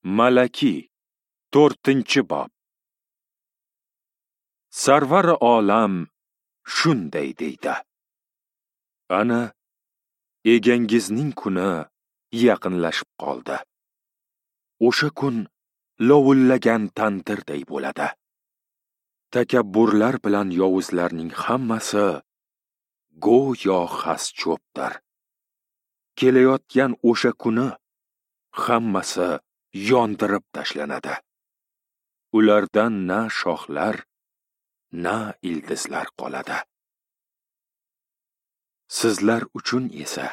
Malaki, 4-bob. Sarvar olam shunday deydi: Ana egangizning kuni yaqinlashib qoldi. O'sha kun lovullagan tandirday bo'ladi. Takabburlar bilan yovuzlarning hammasi go'yo xas cho'pdir. Kelayotgan o'sha kuni hammasi yondirib tashlanadi. Ulardan na shoxlar, na ildizlar qoladi. Sizlar uchun esa,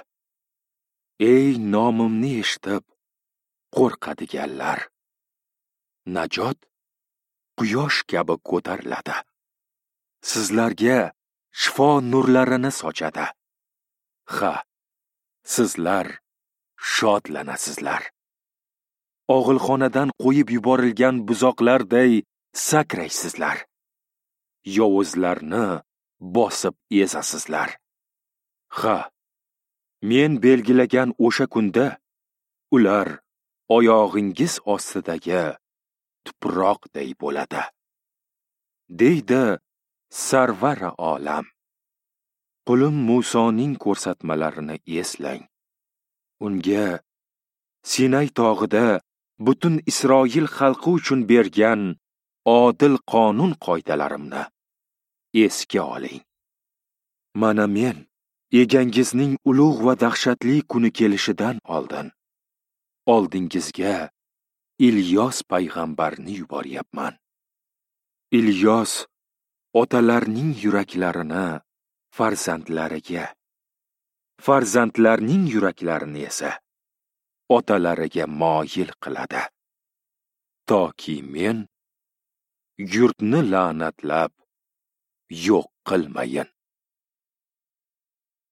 ey nomimni eshitib qo'rqadiganlar, najot quyosh kabi ko'tariladi. Sizlarga shifo nurlarini sochadi. Ha, sizlar shodlanasizlar. Og'ilxonadan qo'yib yuborilgan buzoqlarday sakraysizlar. Yovuzlarni bosib ezasizlar. Ha, men belgilagan o'sha kunda ular oyog'ingiz ostidagi tuproqday bo'ladi, deydi Sarvar olam. Qulim Musoning ko'rsatmalarini eslang. Unga Sinay tog'ida butun Isroil xalqi uchun bergan odil qonun qoidalarimni esga oling. Mana men egangizning ulug' va dahshatli kuni kelishidan oldin oldingizga Ilyos payg'ambarni yuboryapman. Ilyos otalarning yuraklarini farzandlariga, farzandlarning yuraklarini esa otalariga moyil qiladi. Toki men yurtni la'natlab yo'q qilmayin.